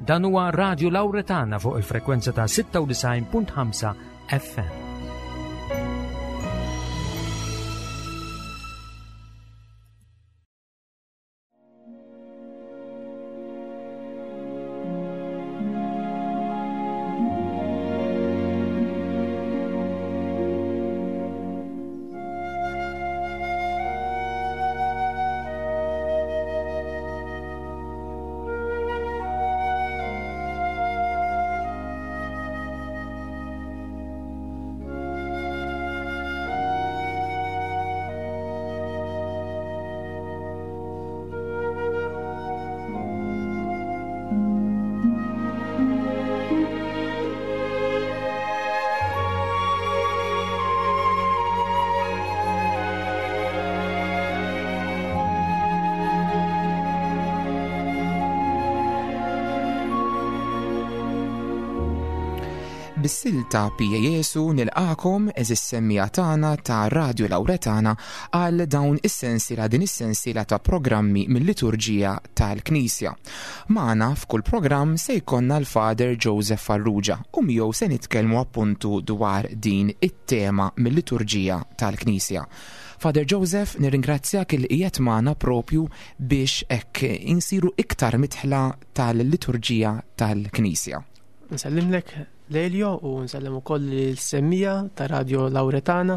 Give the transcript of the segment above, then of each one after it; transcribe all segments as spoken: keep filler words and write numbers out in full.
Dan huwa Radio Lauretana fuq il-frekwenza ta' sitta u disgħin punt ħamsa F M. Bis-silta Pie Jesu nilqagħkom, għeżież semmiegħa tagħna ta' Radio Lauretana, għal dawn is-sensiela din is-sensiela ta' programmi mill-liturġija tal-Knisja. Magħna f'kull programm se jkollna l-Father Joseph Farrugia u miegħu se nitkellmu appuntu dwar din it-tema mill-liturġija tal-Knisja. Father Joseph, nirringrazzjak li qiegħed magħna propju biex hekk insiru iktar midħla tal-liturġija tal-Knisja. Nsellimlek, Lelio, u nsellem ukoll il-semmiegħa ta' Radio Lauretana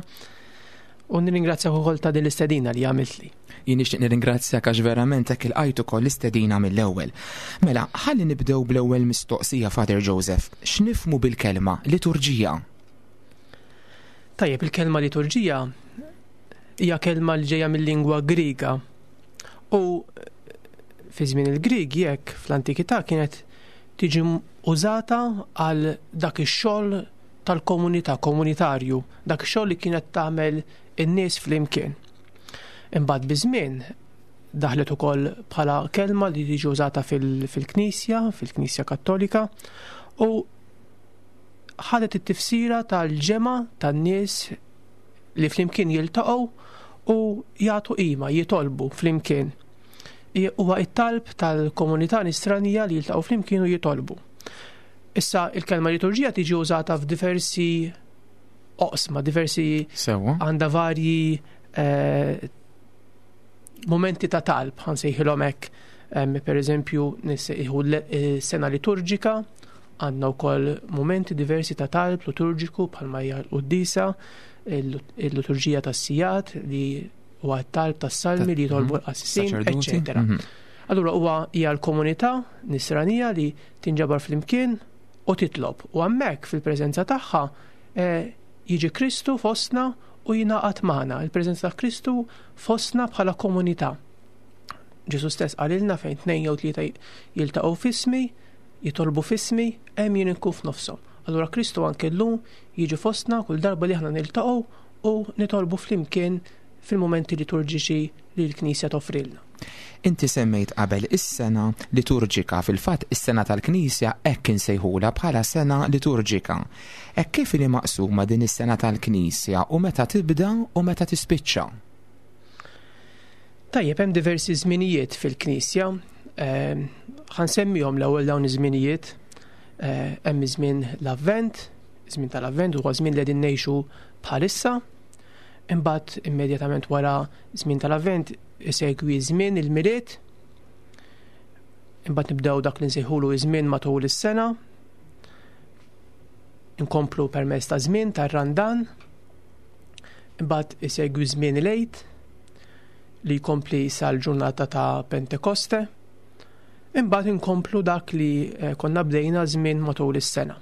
u nirringrazzjak ukoll ta' din l-istedina li għamiltli. Jien nixtieq nirringrazzjak għax verament hekk ilqajt ukoll l-istedina mill-ewwel. Mela, ħalli nibdew bl-ewwel mistoqsija, Father Joseph. X'nifhmu bil-kelma liturġija? Tajjeb, il-kelma liturġija hija kelma li ġejja mill-lingwa Griega u fi żmien il-Grieg jekk fl-antikità kienet tiġi użata għal dak ix-xogħol tal-komunità, komunitarju, dak ix-xogħol li kienet tagħmel in-nies flimkien. Imbagħad biż-żmien daħlet ukoll bħala kelma li tiġi użata fil-Knisja, fil-Knisja Kattolika, u ħadet it-tifsira tal-ġemgħa tan-nies li flimkien jiltaqgħu u jagħtu qima, jitolbu flimkien. Huwa it-talb tal-komunità nisranija li jiltaqgħu flimkien u jitolbu. Issa il-kelma liturġija tiġi użata f'diversi oqsma, diversi Sewa. għandha varji eh, momenti ta' talb, ħa nsejħilhom hekk. Em, Per eżempju, nissejħu l- sena liturġika, għandna wkoll momenti diversi ta' talb liturġiku bħalma hija l-quddisa, il-liturġija tas-sigħat li huwa t-talb tas-salmi li jitolbu l-qassisin, Saċerdoti. eċċetera. Mhm. Allura huwa hija l-komunità nisranija li tinġabar flimkien u titlob. U hemmhekk fil-preżenza tagħha eh, jiġi Kristu fostna u jingħaqad magħna. Il-preżenza ta' Kristu fostna bħala komunità. Ġesu stess qalilna fejn tnejn jew tlieta jiltaqgħu f'ismi, jitolbu f'ismi, hemm jien inkun f'nofshom. Allura Kristu anke llum jiġi fostna kull darba li aħna niltaqgħu u nitolbu flimkien fil-momenti liturġiċi li l-Knisja toffrilna. Inti semmejt qabel is-sena liturġika, fil-fatt is-sena tal-Knisja hekk insejħula bħala sena liturġika. Hekk kif li maqsuma din is-sena tal-Knisja u meta tibda u meta tispiċċa? Tajjeb, hemm diversi żminijiet fil-Knisja. Eh, Ħa nsemmihom l-ewwel dawn iż-żminijiet. Eh, Hemm iż-żmien l-Avvent, żmien tal-Avvent huwa żmien li qegħdin ngħixu bħalissa. Imbagħad immedjatament wara żmien tal-Avvent isegwi żmien il-Milied. Imbagħad nibdew dak li nsejħulu żmien matul is-sena. Inkomplu permezz ta' żmien tar-Randan. Imbagħad isegwi żmien il-Għid li jkompli sal-ġurnata ta' Pentekoste. Imbagħad inkomplu dak li eh, konna bdejna żmien matul is-sena.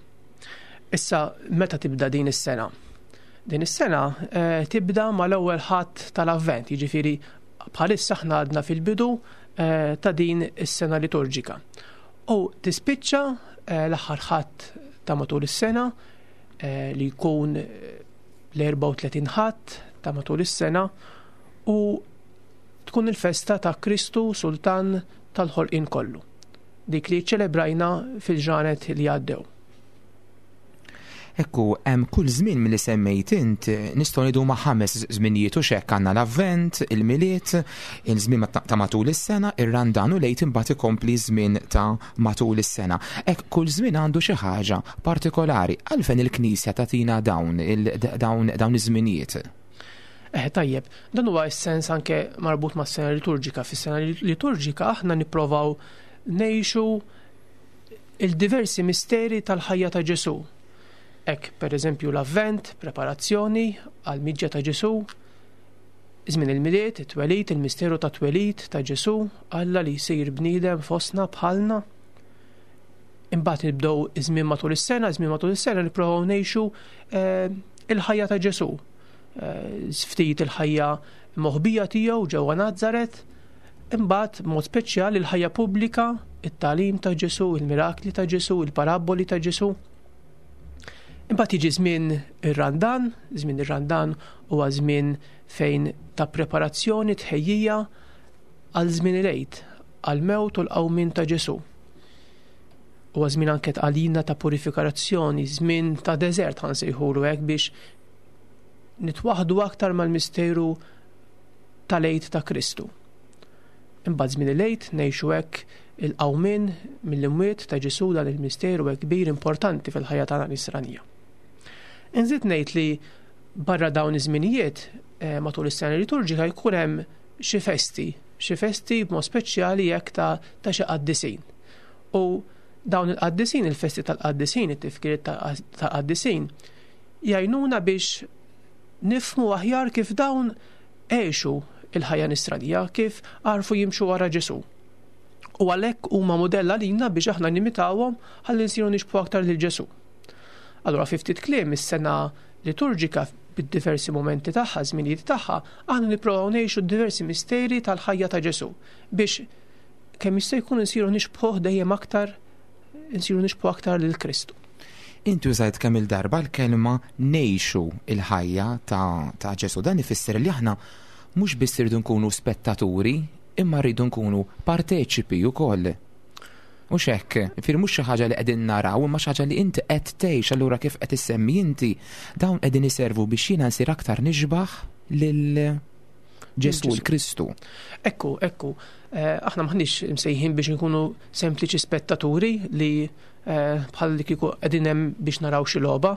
Issa meta tibda din is-sena? Din is-sena eh, tibda mal-ewwel Ħadd tal-Avvent, jiġifieri bħalissa aħna għadna fil-bidu eh, ta' din is-sena liturġika. U tispiċċa eh, l-aħħar Ħadd ta' matul is-sena eh, li jkun eh, l-erbgħa u tletin Ħadd ta' matul is-sena u tkun il-festa ta' Kristu Sultan tal-ħolqien kollu. Dik li ċelebrajna fil-ġranet li għaddew. Ekku, hemm kull żmien milli semmejt int nistgħu ngħidu ma' ħames żminijiet u xekk għandna l-Avvent, il-Milied, il-żmien ta' matul is-sena, ir-Randan u lejt imbagħad ikompli żmien ta' matul is-sena. Hekk kull żmien għandu xi ħaġa partikolari. Għalfejn il-Knisja tagħtina dawn dawn dawn iż-żminijiet? Eh, tajjeb, dan huwa s-sens anke marbut mas-sena liturġika. Fis-sena liturġika aħna nipprovaw ngħixu il-diversi misteri tal-ħajja ta' Ġesù. Hekk, per eżempju, l-Avvent, preparazzjoni għal miġja ta' Ġesù, żmien il-Milied, it-twelid, il-misteru ta' twelid ta' Ġesù, Alla li jsir bniedem fostna bħalna. Imbagħad nibdew iż-żmien matul is-sena, żmien matul is-sena nipprovaw ngħixu eh, il-ħajja ta' Ġesù. Eh, ftit il-ħajja moħbija tiegħu ġewwa Nazaret, imbagħad mod speċjali il-ħajja pubblika, it-tagħlim ta' Ġesù, il-mirakli ta' Ġesù, il-paraboli ta' Ġesù. Imbagħad jiġi żmien ir-Randan, żmien ir-Randan huwa żmien fejn ta' preparazzjoni tħejjija għal żmien il-Għid, għal mewt u l-qawmien ta' Ġesù. Huwa żmien anke għalina ta' purifikazzjoni, żmien ta' deżert ħa nsejħulu hekk biex nitwaħdu aktar mal-misteru tal-Għid ta' Kristu. Imbagħad żmien il-Għid ngħixu hekk il-qawmien mill-imwiet ta' Ġesù, dan il-misteru hekk kbir importanti fil-ħajja tagħna nisranija. Inżid ngħid li barra dawn iż-żminijiet eh, matul is-sena liturġika jkun hemm xi festi, xi festi b'mod speċjali jekk ta' ta' xi qaddisin. U dawn il-qaddisin, il-festi tal-qaddisin, it-tifkiriet tal-qaddisin, jgħinuna biex nifhmu aħjar kif dawn għexu il-ħajja nisranija, kif għarfu jimxu wara Ġesù. U għalhekk huma mudell għalina biex aħna nimitawhom ħalli nsiru nixbhu aktar lil Ġesù. Allura fi ftit kliem is-sena liturġika bid-diversi momenti tagħha, żminijiet tagħha, aħna nipprovaw ngħixu diversi misteri tal-ħajja ta' Ġesù biex kemm jista' jkun insiru nixbħuh dejjem aktar, insiru nixbħu aktar lil Kristu. Inti użajt kemm il-darba l-kelma ngħixu il-ħajja ta', ta' Ġesù. Dan ifisser li aħna mhux biss irridu nkunu spettaturi, imma rridu nkunu parteċipi wkoll. Mhux hekk, fir mhux xi ħaġa li qegħdin naraw, imma xi ħaġa li inti qed tgħix, allura kif qed issemmi inti dawn qegħdin iservu biex jiena nsir aktar nixbaħ lil Ġesù l-Kristu. Ekku, ekku, eh, aħna maħniex msejħin biex nkunu sempliċi spettaturi li eh, bħal li kieku qegħdin hemm biex naraw xi logħba,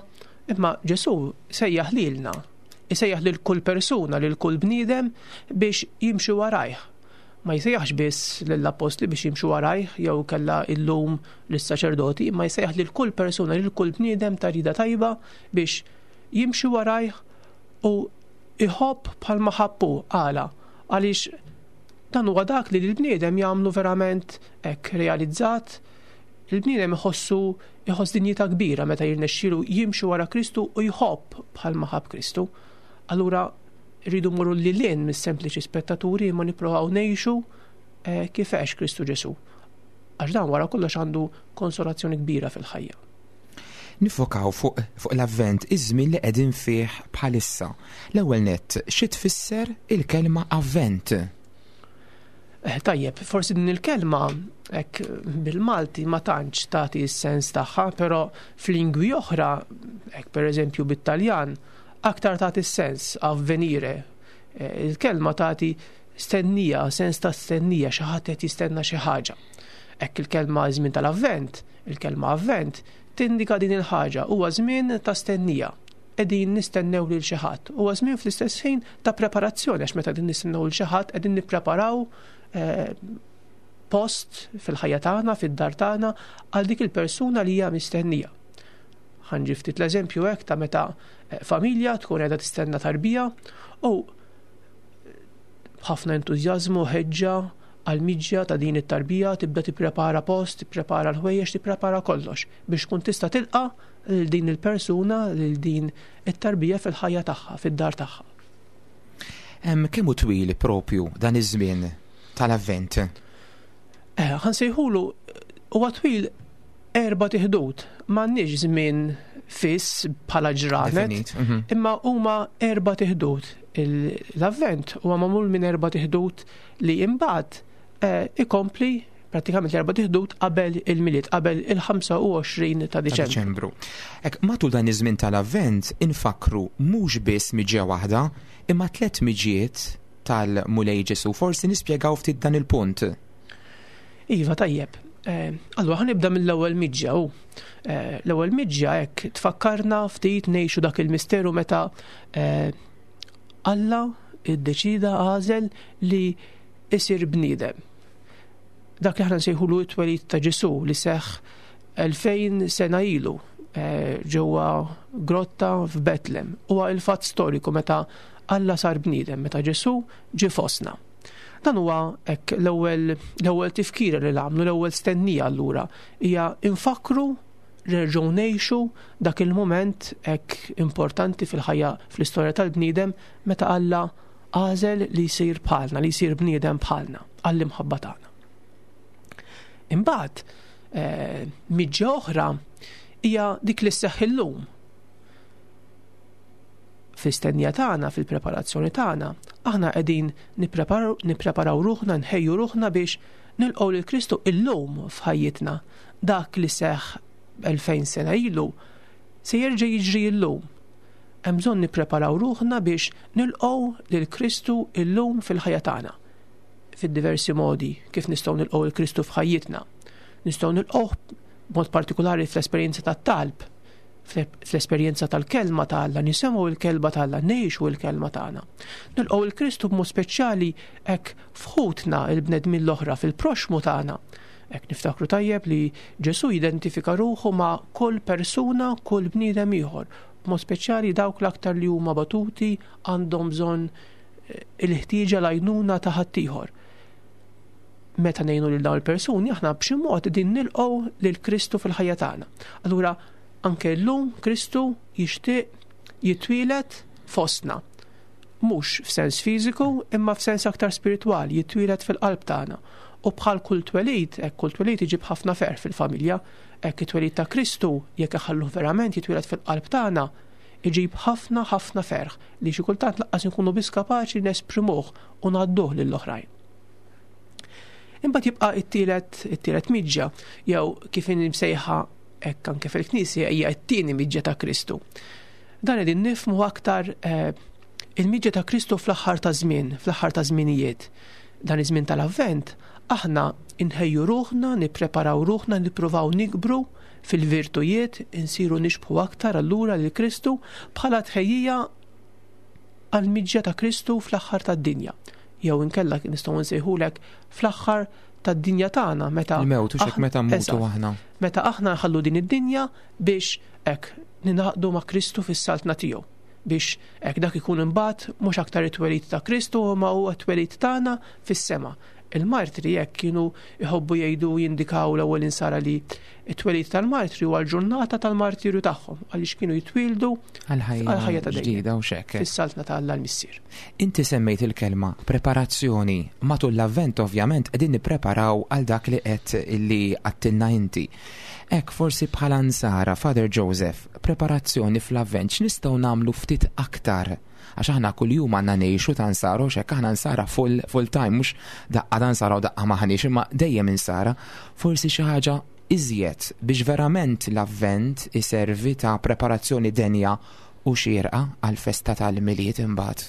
imma Ġesù sejjaħ lilna, isejjaħ lil kull persuna, lil kull bniedem biex jimxi warajh. Ma jsejjaħx biss lill-appostli biex jimxu warajh jew kella illum lis-saċerdoti, imma jsejjaħ lil kull persuna, lil kull bniedem ta' rida tajba biex jimxi warajh u iħobb bħalma ħabbu. Għala, għaliex dan huwa dak li l-bniedem jagħmlu verament hekk realizzat. Il-bniedem iħossu iħoss dinjità kbira meta jirnexxielu jimxi wara Kristu u jħobb bħalma ħabb Kristu. Allura rridu mmorru lil hinn mis-sempliċi spettaturi imma nipprovaw ngħixu eh, kif għex Kristu Ġesù. Għax dan wara kollox għandu konsolazzjoni kbira fil-ħajja. Nifokaw fuq, fuq l-Avvent, iż-żmien li qegħdin fih bħalissa. L-ewwel nett, xi tfisser il-kelma Avvent? Eh, tajjeb, forsi din il-kelma hekk bil-Malti ma tantx tagħti s-sens tagħha, però f'lingwi oħra, hekk pereżempju bit-Taljan, aktar tagħti s-sens avvenire. Eh, il-kelma tagħti stennija, sens ta' stennija, xi ħadd qed jistenna xi ħaġa. Hekk il-kelma żmien tal-Avvent, il-kelma Avvent tindika din il-ħaġa, huwa żmien ta' stennija. Qegħdin nistennew lil xi ħadd. Huwa żmien fl-istess ħin ta' preparazzjoni, għax meta qegħdin nistennew lil xi ħadd qegħdin nippreparaw eh, post fil-ħajja tagħna, fid-dar tagħna għal dik il-persuna li hija mistennija. Ħanġi ftit l-eżempju hekk ta' meta eh, familja tkun qiegħda tistenna tarbija u b'ħafna entużjażmu ħeġġa għal miġja ta' din it-tarbija tibda tipprepara post, tipprepara l-ħwejjeġ, tipprepara kollox biex tkun tista' tilqa' lil din il-persuna, lil din it-tarbija fil-ħajja tagħha, fid-dar tagħha. Kemm hu twil propju dan iż-żmien tal-Avvent? Eh, ħa nsejħulu huwa twil erba' tiħdud. M'għandniex żmien fiss bħala ġranet, mhm. imma huma erba' tiħdud. L-Avvent huwa magħmul minn erba' tiħdud li imbagħad eh, ikompli Prattikament l-erba' tiħdud qabel il-Milied, qabel il-ħamsa u għoxrin ta' Diċembru. Ek, matul dan iż-żmien tal-Avvent infakru mhux biss miġja waħda, imma tliet miġjiet tal-Mulej Ġesu. Forsi nispjegaw ftit dan il-punt. Iva, tajjeb. Eh, allura ħanibda mill-ewwel miġja hu. Eh, l-ewwel miġja hekk tfakkarna ftit ngħixu dak il-misteru meta eh, Alla iddeċida għażel li isir bniedem. Dak li aħna nsejħulu t-twelid ta' Ġesu li seħħ elfejn sena ilu ġewwa grotta f'Betlem. Huwa il-fatt storiku meta Alla sar bniedem, meta Ġesu ġie fostna. Dan huwa hekk l-ewwel, l-ewwel tifkira li nagħmlu, l-ewwel stennija allura hija infakru nerġgħu ngħixu dak il-mument hekk importanti fil-ħajja, fl-istorja tal-bniedem meta Alla għażel li jsir bħalna, li jsir bniedem bħalna għall-imħabba tagħna. Imbagħad, eh, miġja oħra hija dik li sseħħ illum. Fl-istennija tagħna, fil-preparazzjoni tagħna, aħna qegħdin nippreparaw, nippreparaw ruħna, nħejju ruħna biex nilqgħu lil Kristu illum f'ħajjitna. Dak li seħħ elfejn sena ilu se jerġa' jiġri illum. Hemm bżonn nippreparaw ruħna biex nilqgħu lil Kristu illum fil-ħajja tagħna. Fid-diversi modi kif nistgħu nilqgħu lil Kristu f'ħajjitna. Nistgħu nilqgħuh b'mod partikolari fl-esperjenza tat-talb, fl-esperjenza tal-kelma ta' Alla, nisimgħu l-kelma ta' Alla, ngħixu l-kelma tagħna. Nilqgħu lil Kristu b'mod speċjali hekk f'ħutna il-bnedmin l-oħra, fil-proxmu tagħna. Hekk niftakru tajjeb li Ġesu jidentifika ruħu ma' kull persuna, kull bniedem ieħor, b'mod speċjali dawk l-aktar li huma batuti, għandhom bżonn il-ħtieġa l-għajnuna ta' ħaddieħor. Meta ngħinu lil dawn il-persuni, aħna b'xi mod din nilqgħu lil Kristu fil-ħajja tagħna. Allura anke llum Kristu jixtieq jitwieled fostna. Mhux f'sens fiżiku, imma f'sens aktar spiritwali, jitwieled fil-qalb tagħna. U bħal kull twelid, hekk kull twelid iġib ħafna ferħ fil-familja, hekk it-twelid ta' Kristu, jekk iħalluh verament jitwieled fil-qalb tagħna, iġib ħafna ħafna ferħ li xi kultant lanqas inkunu biss kapaċi nesprimuh u ngħadduh lill-oħrajn. Imbagħad jibqa' it-tielet, it-tielet miġja, jew kif inhi msejħa hekk anke fil-Knisja hija t-tieni miġja ta' Kristu. Dan qegħdin nifhmu aktar, eh, il-miġja ta' Kristu fl-aħħar ta' żmien, fl-aħħar ta' żminijiet. Dan iż-żmien tal-Avvent aħna inħejju ruħna, nippreparaw ruħna, nippruvaw nikbru fil-virtujiet, insiru nixbħu aktar allura lil Kristu bħala tħejjija għall-miġja ta' Kristu fl-aħħar tad-dinja. Jew inkella nistgħu nsejħulek fl-aħħar tad-dinja tagħna meta Il-mewt, u x'hekk aħna meta mmutu Eżatt. aħna. Meta aħna nħallu din id-dinja biex hekk ninaqdu ma' Kristu fis-saltna tiegħu. Biex hekk dak ikun imbagħad mhux aktar it-twelid ta' Kristu ma huwa t-twelid tagħna fis-sema. Il-martri hekk kienu jħobbu jgħidu jindikaw l-ewwel insara li t-twelid tal-martri huwa l-ġurnata tal-martirju tagħhom għaliex kienu jitwieldu Għal-ħajja għal-ħajja ta' dejjem. ġdida u x'hekk. Fis-saltna ta' Alla l-Missier. Inti semmejt il-kelma preparazzjoni. Matul l-Avvent ovvjament qegħdin nippreparaw għal dak li qed li għattilna inti. Hekk forsi bħala nsara, Father Joseph, preparazzjoni fl-Avvent x'nistgħu nagħmlu ftit aktar? Għax aħna kuljum għandna ngħixu ta' nsara, u x'hekk aħna nsara full, full time, mhux daqqa ta' nsara u daqqa maħniex, imma dejjem insara. Forsi xi ħaġa iżjed biex verament l-Avvent iservi ta' preparazzjoni denja u xierqa għal-festa tal-Milied imbagħad.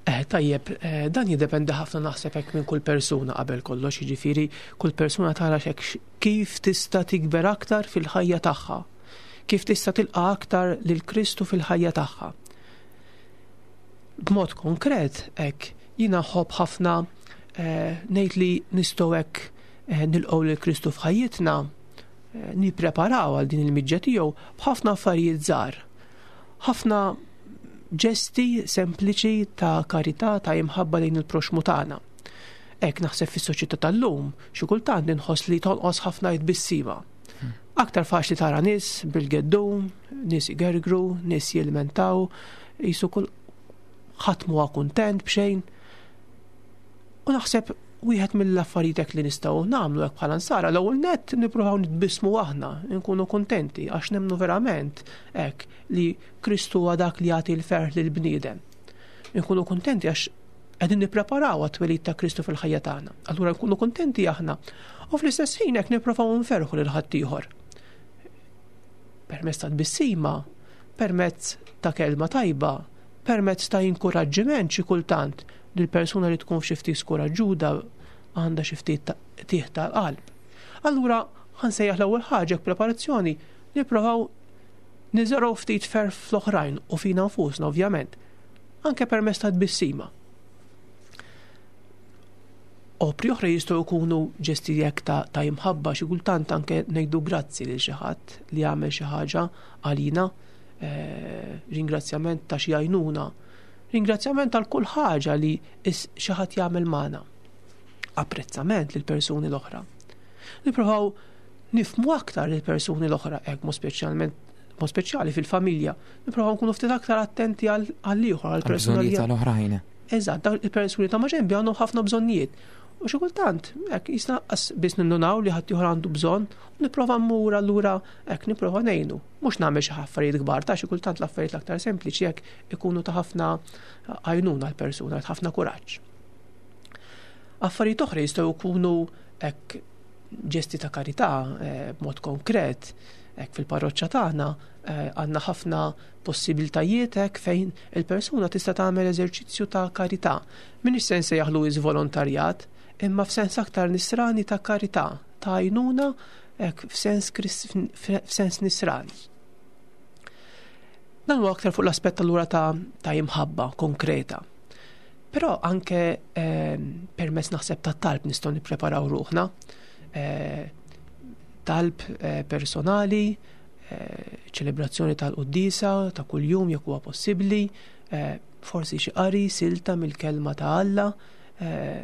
Eh, tajjeb, eh, dan jiddependi ħafna naħseb hekk minn kull persuna qabel kollox, jiġifieri kull persuna tara x'hekk x-, kif tista' tikber aktar fil-ħajja tagħha, kif tista' tilqa' aktar lil Kristu fil-ħajja tagħha. B'mod konkret hekk jiena nħobb ħafna, eh, ngħid li nistgħu hekk, eh, nilqgħu lil Kristu f'ħajjitna, eh, nippreparaw għal din il-miġja tiegħu b'ħafna affarijiet żgħar. Ħafna ġesti sempliċi ta' karità, ta' imħabba lejn il-proxmu tagħna. Hekk naħseb fis-soċjetà tal-lum, xi kultant inħoss li tonqos ħafna jitbissima. Aktar faċli tara nies bil-geddum, nies igergru, nies jilmentaw, jisu kull ħadd m'huwa kuntent b'xejn. U naħseb wieħed mill-affarijiet hekk li nistgħu nagħmlu hekk bħala nsara, l-ewwel nett nippruvaw nitbissmu aħna, nkunu kuntenti għax nemmnu verament hekk li Kristu huwa dak li jagħti l-ferħ lill-bniedem. Nkunu kuntenti għax Qegħdin nippreparaw għat-twelid ta' Kristu fil-ħajja tagħna. Allura nkunu kuntenti aħna. U fl-istess ħin hekk nipprovaw nferħu lil ħaddieħor. Permezz ta' tbissima, permezz ta' kelma tajba, permezz ta' inkoraġġiment xi kultant li l-persuna li tkun xi ftit skoraġġuda għandha xi ftit tieħ tal-qalb. Allura ħansejjaħ l-ewwel ħaġa preparazzjoni nipprovaw niżergħu ftit ferħ fl-oħrajn u fina nfusna ovvjament, anke permezz ta' tbissima. Opri oħra jistgħu jkunu ġesti jekk ta', ta' imħabba, xi kultant anke ngħidu grazzi lil xi ħadd li għamel xi ħaġa għalina, eh, ringrazzjament ta' xi għajnuna, ringrazzjament għal kull ħaġa li xi ħadd jagħmel magħna. Apprezzament lil persuni l-oħra. Nippruvaw nifhmu aktar lil persuni l-oħra, hekk mod speċjalment mod speċjali fil-familja, nippruvaw nkunu ftit aktar attenti għall-ieħor, għall-persuna li tal-oħrajn. Eżatt, dawn il-persuni ta' maġenbi għandhom ħafna bżonnijiet. U xi kultant, hekk jisna biss nindunaw li ħadd ieħor għandu bżonn, u nipprova mmur allura hekk nipprova ngħinu. Mhux nagħmel xi affarijiet kbar, ta' xi kultant l-affarijiet l-aktar sempliċi hekk ikunu ta' ħafna għajnuna l-persuna, ta' ħafna kuraġġ. Affarijiet oħra jistgħu jkunu hekk ġesti ta' karità b'mod konkret, hekk fil-parroċċa tagħna għandna ħafna possibiltajiet hekk fejn il-persuna tista' tagħmel eżerċizzju ta' karità. M'iniex se nsejjaħlu volontarjat, imma f'sens aktar nisrani ta' karità, ta' għajnuna hekk f'sens f'sens nisrani. Dan huwa aktar fuq l-aspett allura ta' ta' imħabba konkreta. Però anke eh, permezz naħseb ta' talb nistgħu nippreparaw ruħna. Eh, talb eh, personali, eh, ċelebrazzjoni tal-quddiesa ta' kuljum jekk huwa possibbli, eh, forsi xi qari silta mill-kelma ta' Alla, eh,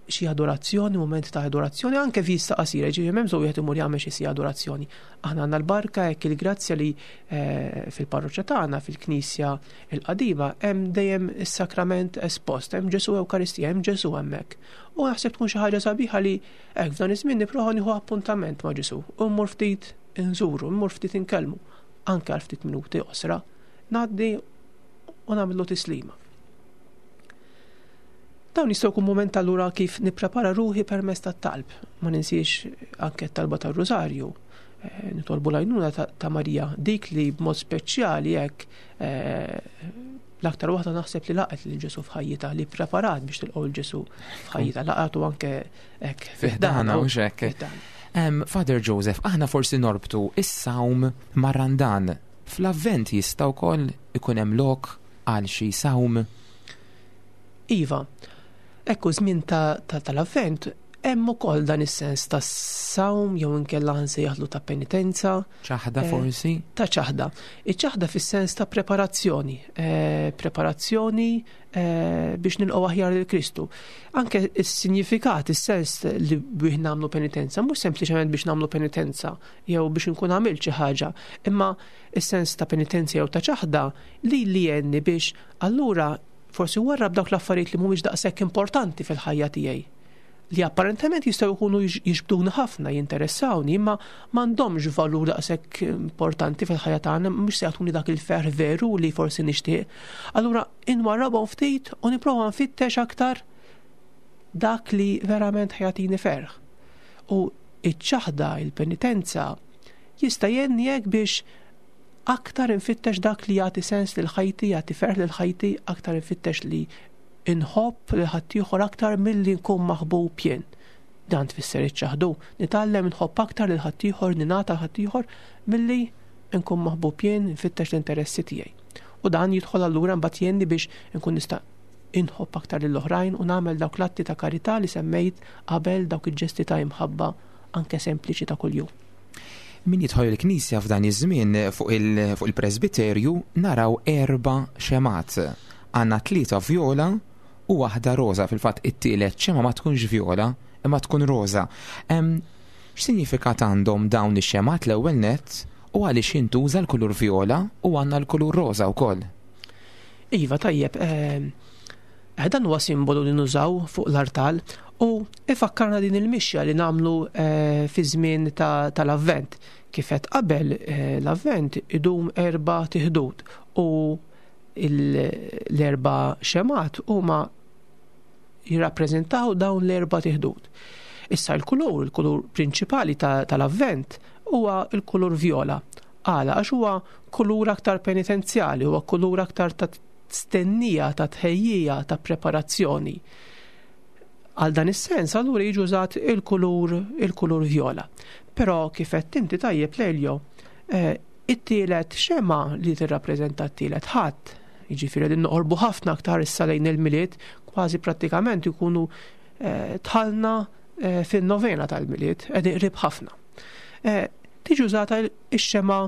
xi adorazzjoni, moment ta' adorazzjoni, anke vista qasira, ġifieri m'hemm bżonn wieħed imur jagħmel xi sija adorazzjoni. Aħna għandna l-barka hekk il-grazzja li eh, fil-parroċċa tagħna, fil-Knisja l-qadima, hemm dejjem is-sakrament espost, hemm Ġesu Ewkaristija, hemm Ġesu hemmhekk. U naħseb tkun xi ħaġa sabiħa li hekk f'dan iż-żmien nipprova nieħu appuntament ma' Ġesu u mmur ftit inżuru, mmur ftit inkellmu, anke għal ftit minuti qosra, ngħaddi u nagħmlu tislima. Dawn jistgħu jkun mument allura kif nipprepara ruħi permezz tat-talb. Ma ninsiex anke t-talba tar-Rużarju. Eh, nitolbu l-għajnuna ta', ta' Marija, dik li b'mod speċjali hekk eh, l-aktar waħda naħseb li laqgħet lil Ġesu f'ħajjitha, li preparat biex tilqgħu lil Ġesu f'ħajjitha, laqgħatu anke hekk Fi ħdana, mhux hekk. Fi ħdana. Em, Father Joseph, aħna forsi norbtu is-sawm mar-Randan. Fl-Avvent jista' wkoll ikun hemm lok għal xi sawm? Iva, ekku żmien ta', ta, tal-Avvent hemm ukoll dan is-sens ta' sawm jew inkella nsejjaħlu ta' penitenza. Ċaħda Eh, forsi? Ta' ċaħda. Iċ-ċaħda fis-sens ta' preparazzjoni. Eh, preparazzjoni, eh, biex nilqgħu aħjar lil Kristu. Anke is-sinjifikat, is-sens li bih nagħmlu penitenza, mhux sempliċement biex nagħmlu penitenza jew biex nkun għamilt xi ħaġa, imma is-sens ta' penitenza jew ta' ċaħda li li jgħinni biex allura forsi warrab dawk l-affarijiet li mhumiex daqshekk importanti fil-ħajja tiegħi, li apparentement jistgħu jkunu jiġ-, jiġbduni ħafna, jinteressawni, imma m'għandhomx valur daqshekk importanti fil-ħajja tagħna, mhux se jagħtuni dak il-ferħ veru li forsi nixtieq. Allura inwarrabhom ftit u nipprova nfittex aktar dak li verament ħajatini ferħ. U iċ-ċaħda, il-penitenza, jista' jgħinni hekk biex aktar infittex dak li jagħti sens lil ħajti, jagħti ferħ lil ħajti, aktar infittex li inħobb lil ħaddieħor aktar milli nkun maħbub jien. Dan tfisser iċ-ċaħdu. Nitgħallem nħobb aktar lil ħaddieħor, ningħata ħaddieħor milli nkun maħbub jien, nfittex l-interessi tiegħi. U dan jidħol allura mbagħad jgħinni biex nkun nista' inħobb aktar lil oħrajn u nagħmel dawk l-atti ta' karità li semmejt qabel, dawk il-ġesti ta' imħabba anke sempliċi ta' kuljum. Min jidħol il-Knisja f'dan iż-żmien fuq il-, fuq il-presbiterju naraw erba' xemgħat. Għandna tlieta vjola u waħda roża. Fil-fatt it-tielet xemgħa ma tkunx vjola imma tkun roża. Em, x'sinifikat għandhom dawn ix-xemgħat l-ewwel nett u għaliex jintuża l-kulur vjola u għandna l-kulur roża wkoll? Iva, tajjeb, em, eh, dan huwa simbolu li nużaw fuq l-artal u ifakkarna din il-mixja li nagħmlu, eh, fi żmien ta-, tal-Avvent. Kif qed qabel, eh, l-Avvent idum erba' tiħdud u L-erba' xemgħat huma jirrappreżentaw dawn l-erba' tiħdud. Issa l-kulur, il-kulur prinċipali tal-Avvent huwa l-kulur vjola. Għala, għax huwa kulur aktar penitenzjali, huwa kulur aktar ta' stennija, ta' tħejjija, ta' preparazzjoni. Għal dan is-sens allura jiġi użat il-kulur il-kulur vjola. Però kif qed inti tajjeb Lelio, eh, it-tielet xema li tirrappreżenta t-tielet Ħadd, jiġifieri din noqorbu ħafna aktar issa lejn il-Milied, kważi prattikament ikunu eh, dħalna eh, fin-novena tal-Milied, qegħdin qrib ħafna. Tiġi użata x-xema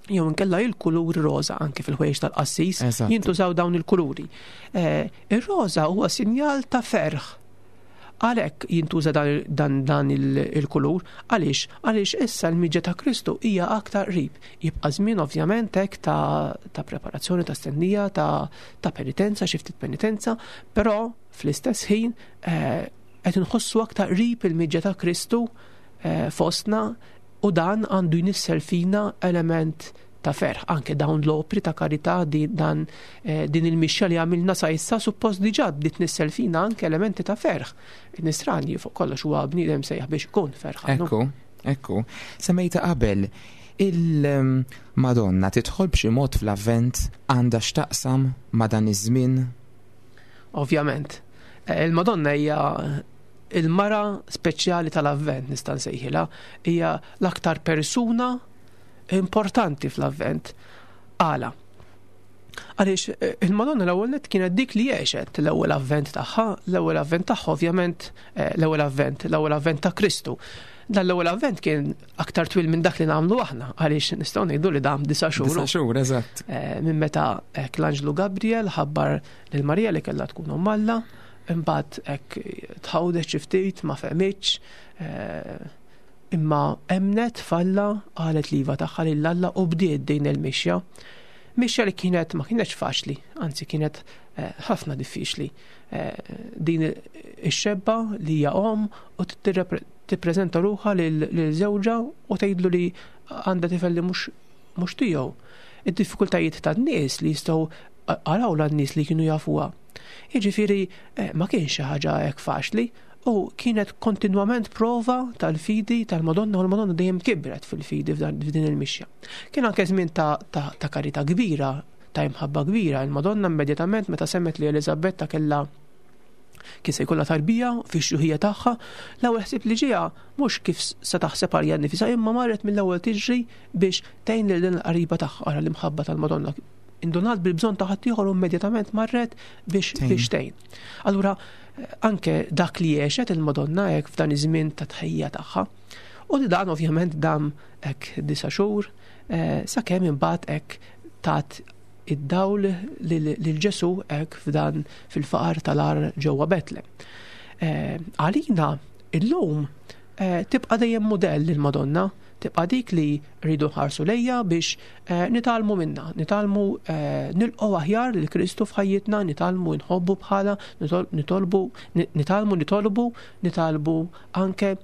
jew inkella il-kulur roża anke fil-ħwejjeġ tal-qassis jintużaw dawn il-kuluri. Ir-roża huwa sinjal ta' ferħ. Għalhekk jintuża dan, dan, dan il-kulur, għaliex għaliex issa l-miġja ta' Kristu hija aktar qrib. Jibqa' żmien ovvjament hekk ta', ta' preparazzjoni, ta' stennija, ta', ta' penitenza, xi ftit penitenza, però fl-istess ħin qed inħossu aktar qrib il-miġja ta' Kristu eh, fostna, u dan għandu jnissel fina element ta' ferħ. Anke dawn l-opri ta' karità, dan, eh, din il-mixja li għamilna sa issa suppost diġà bdiet tnissel fina anke elementi ta' ferħ. Il-nisrani fuq kollox huwa bniedem sejjaħ biex ikun ferħan. Ekku, ekku. Semmejta qabel, il-Madonna tidħol b'xi mod fl-Avvent, għandha x'taqsam ma' dan iż-żmien? Ovvjament. Il-Madonna hija il-mara speċjali tal-Avvent, nista' nsejħilha, hija l-aktar persuna importanti fl-Avvent. Għala? Għaliex il-Madonna l-ewwel nett kienet dik li għexet l-ewwel Avvent tagħha, l-ewwel Avvent tagħha ovvjament l-ewwel Avvent, l-ewwel Avvent ta' Kristu. Dan l-ewwel Avvent kien aktar twil minn dak li nagħmlu aħna, għaliex nistgħu ngħidu li dam disa' xhur. Disa' xhur, eżatt. Minn meta l-Anġlu Gabriel ħabbar lil Marija li kellha tkun omm Alla, imbagħad hekk tħawdet xi ftit, ma fehmitx, imma emnet falla, qalet l-iva tagħha lil Alla u bdiet din il-mixja. Mixja li kienet ma kienetx faċli, anzi kienet ħafna diffiċli. Din ix-xebba li hija omm u tippreżenta ruħha lil żewġha u tgħidlu li għandha tifel li mhux mhux tiegħu. Id-diffikultajiet tan-nies li jistgħu araw lan-nies li kienu jafuha. Jiġifieri ma kienx xi ħaġa hekk faċli, u kienet kontinwament prova tal-fidi tal-Madonna, u l-Madonna dejjem kibret fil-fidi f'din il-mixja. Kien anke żmien ta', ta, ta' karità kbira, ta' imħabba kbira. Il-Madonna immedjatament meta semmet li Eliżabetta kellha kien se jkollha tarbija fix-xjuħija tagħha, l-ewwel ħsieb li ġieha mhux kif se taħseb għalija nnifisha, imma marret mill-ewwel tiġri biex tgħin lil din il-qariba tagħha. Ara l-imħabba tal-Madonna. Indunat bil-bżonn ta' ħaddieħor u immedjatament marret biex biex tgħin. Allura anke dak li għexet il-Madonna hekk f'dan iż-żmien ta' tħejja tagħha. U li dan ovvjament dam hekk disa' xhur, sakemm imbagħad hekk tat id-dawl lil Ġesù hekk f'dan fil-faqar tal-għar ġewwa Betlem. Għalina illum tibqa' dejjem mudell il-Madonna, tibqa' dik li rridu nħarsu lejja biex nitgħallmu minna, nitgħallmu nilqgħu aħjar lil Kristu f'ħajjitna, nitgħallmu nħobbu bħala, nitolbu, nitgħallmu nitolbu, nitgħallmu anke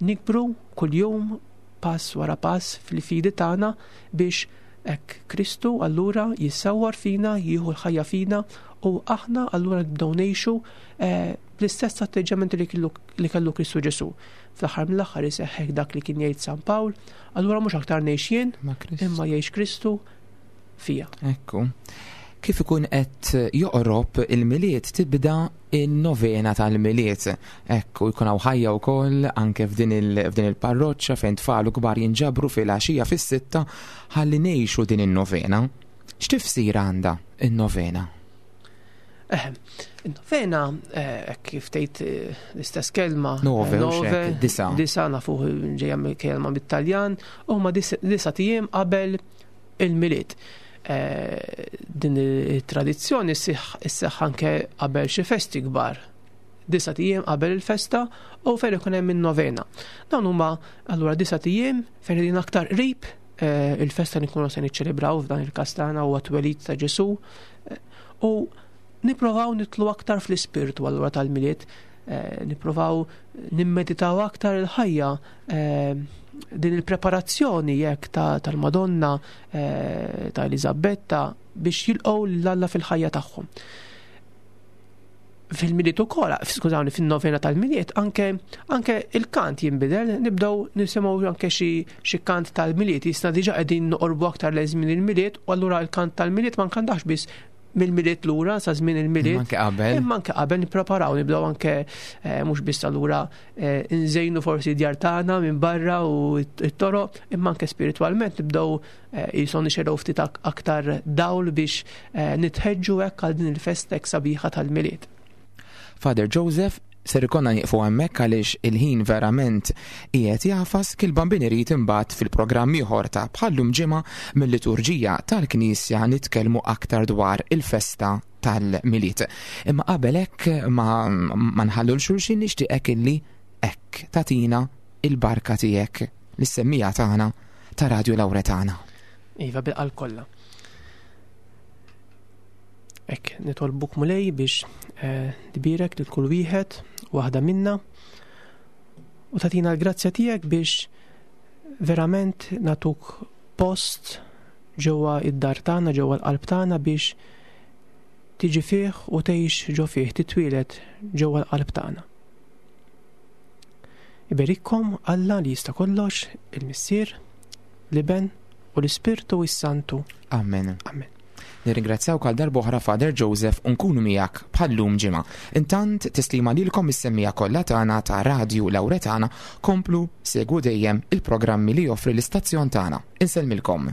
nikbru kuljum pass wara pass fil-fidi tagħna biex hekk Kristu allura jissawwar fina, jieħu l-ħajja fina, u aħna allura nibdew ngħixu bl-istess atteġġjament li kellu li kellu Kristu Ġesù. Fl-aħħar mill-aħħar iseħħek dak li kien jgħid San Pawl, allura mhux aktar ngħix jien, imma jgħix Kristu fija. Ekku. Kif ikun qed joqrob il-Milied tibda il-novena tal-Milied. Ekku, jkun hawn ħajja wkoll anke f'din il-parroċċa fejn tfal u kbar jinġabru fil-għaxija fis-sitta ħalli ngħixu din in-novena. X'tifsir għandha in-novena? Eh, in-novena, kif tgħid l-istess kelma, nove, disa. Disa nafu ġejja kelma bit-Taljan, huma disa tiem qabel il-Milied. Din it-tradizzjoni sseħħ anke qabel xi festi kbar. Disa tiem qabel il-festa u fejn ikun hemm in-novena. Dawn huma allura disa tiem fejn qegħdin aktar qrib il-festa li nkunu se niċċelebraw f'dan il-każ tagħna huwa twelid ta' Ġesù, u nipprovaw nitlu aktar fl-ispirtu allura tal-Milied, nipprovaw nimmeditaw aktar il-ħajja, din il-preparazzjoni jekk tal-Madonna, ta' Eliżabetta, biex jilqgħu lil Alla fil-ħajja tagħhom. Fil-Milied ukoll, skużawni, fin-novena tal-Milied, anke anke il-kant jinbidel, nibdew nisimgħu anke xi xi kant tal-Milied, jisna diġà qegħdin noqorbu aktar lejn żmien il-Milied, u allura il-kant tal-Milied ma nkantax biss mill-Milied lura sa żmien il-Milied. Imma anke qabel. Imma anke qabel nippreparaw, nibdew anke eh, mhux biss allura eh, nżejnu forsi djar tagħna minn barra u t-toroq, imma anke spiritwalment nibdew eh, jison nixegħlu ftit ak- aktar dawl biex eh, nitħeġġu hekk għal din il-festa hekk sabiħa tal-Milied. Father Joseph, ser ikonna nieqfu hemmhekk għaliex il-ħin verament qiegħed jagħfas. Kil-Bambin irid imbagħad fil-programm ieħor ta' bħallum ġimgħa mill-liturġija tal-Knisja nitkellmu aktar dwar il-festa tal-Milied. Imma qabel hekk ma, ma nħallu 'l xulxin, nixtieqek illi hekk tagħtina il-barka tiegħek lis-semmiegħa tagħna ta' Radio Lauretana. Iva, bil-qalb kollha. Hekk nitolbuk, Mulej, biex eh, tbierek lil kull wieħed u waħda minna u tagħtina l-grazzja tiegħek biex verament nagħtuk post ġewwa id-dar tagħna, ġewwa l-qalb tagħna, biex tiġi fih u tgħix ġo fih, titwieled ġewwa l-qalb tagħna. Iberikkom Alla li jista' kollox, il-Missier, l-Iben u l-Ispirtu s-Santu. Amen. Amen. Nirringrazzjaw għal darb'oħra, Father Joseph, u nkunu miegħek bħallum ġimgħa. Intant tislima lilkom is-semmiegħa kollha tagħna ta' Radio Lauretana, komplu segwu dejjem il-programmi li joffri l-istazzjon tagħna. Insellmilkom.